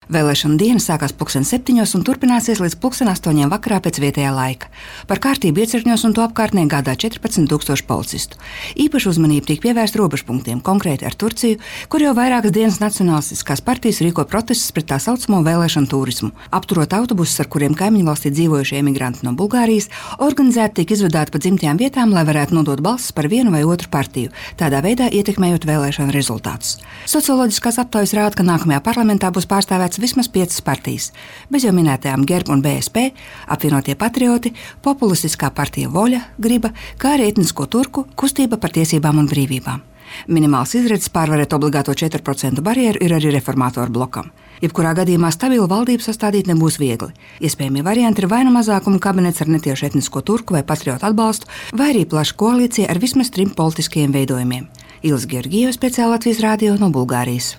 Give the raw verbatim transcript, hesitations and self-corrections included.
Vēlēšana diena sākās pulksten septiņos un turpināsies līdz pulksten astoņiem vakarā pēc vietējā laika. Par kārtību iecirkņos un to apkārtnē gādā četrpadsmit tūkstoši policistu. Īpaša uzmanība tiek pievērsta robežpunktiem, konkrēti ar Turciju, kur jau vairākas dienas nacionālistiskās partijas rīko protestus pret tā saucamo vēlēšanu turismu. Apturot autobusus, ar kuriem kaimiņu valstī dzīvojušie emigranti no Bulgārijas, organizēti tiek izvadāti pa dzimtajām vietām, lai varētu nodot balsis par vienu vai otru partiju, tādā veidā ietekmējot vēlēšanu rezultātus. Socioloģiskās aptaujas rāda, ka nākamajā parlamentā būs pārstāvēts vismaz piecas partijas, bez jau minētajām Gerb un B S P, apvienotie patrioti, populistiskā partija Voļa, Griba, kā arī etnisko turku kustība par tiesībām un brīvībām. Minimāls izredzes pārvarēt obligāto četru procentu barjeru ir arī reformātoru blokam. Jebkurā gadījumā stabilu valdību sastādīt nebūs viegli. Iespējamie varianti ir vai nu mazākuma kabinets ar netiešu etnisko turku vai patriotu atbalstu, vai arī plaša koalīcija ar vismaz trim politiskiem veidojumiem. Ilze Georgijeva, speciāli Latvijas radio no Bulgārijas.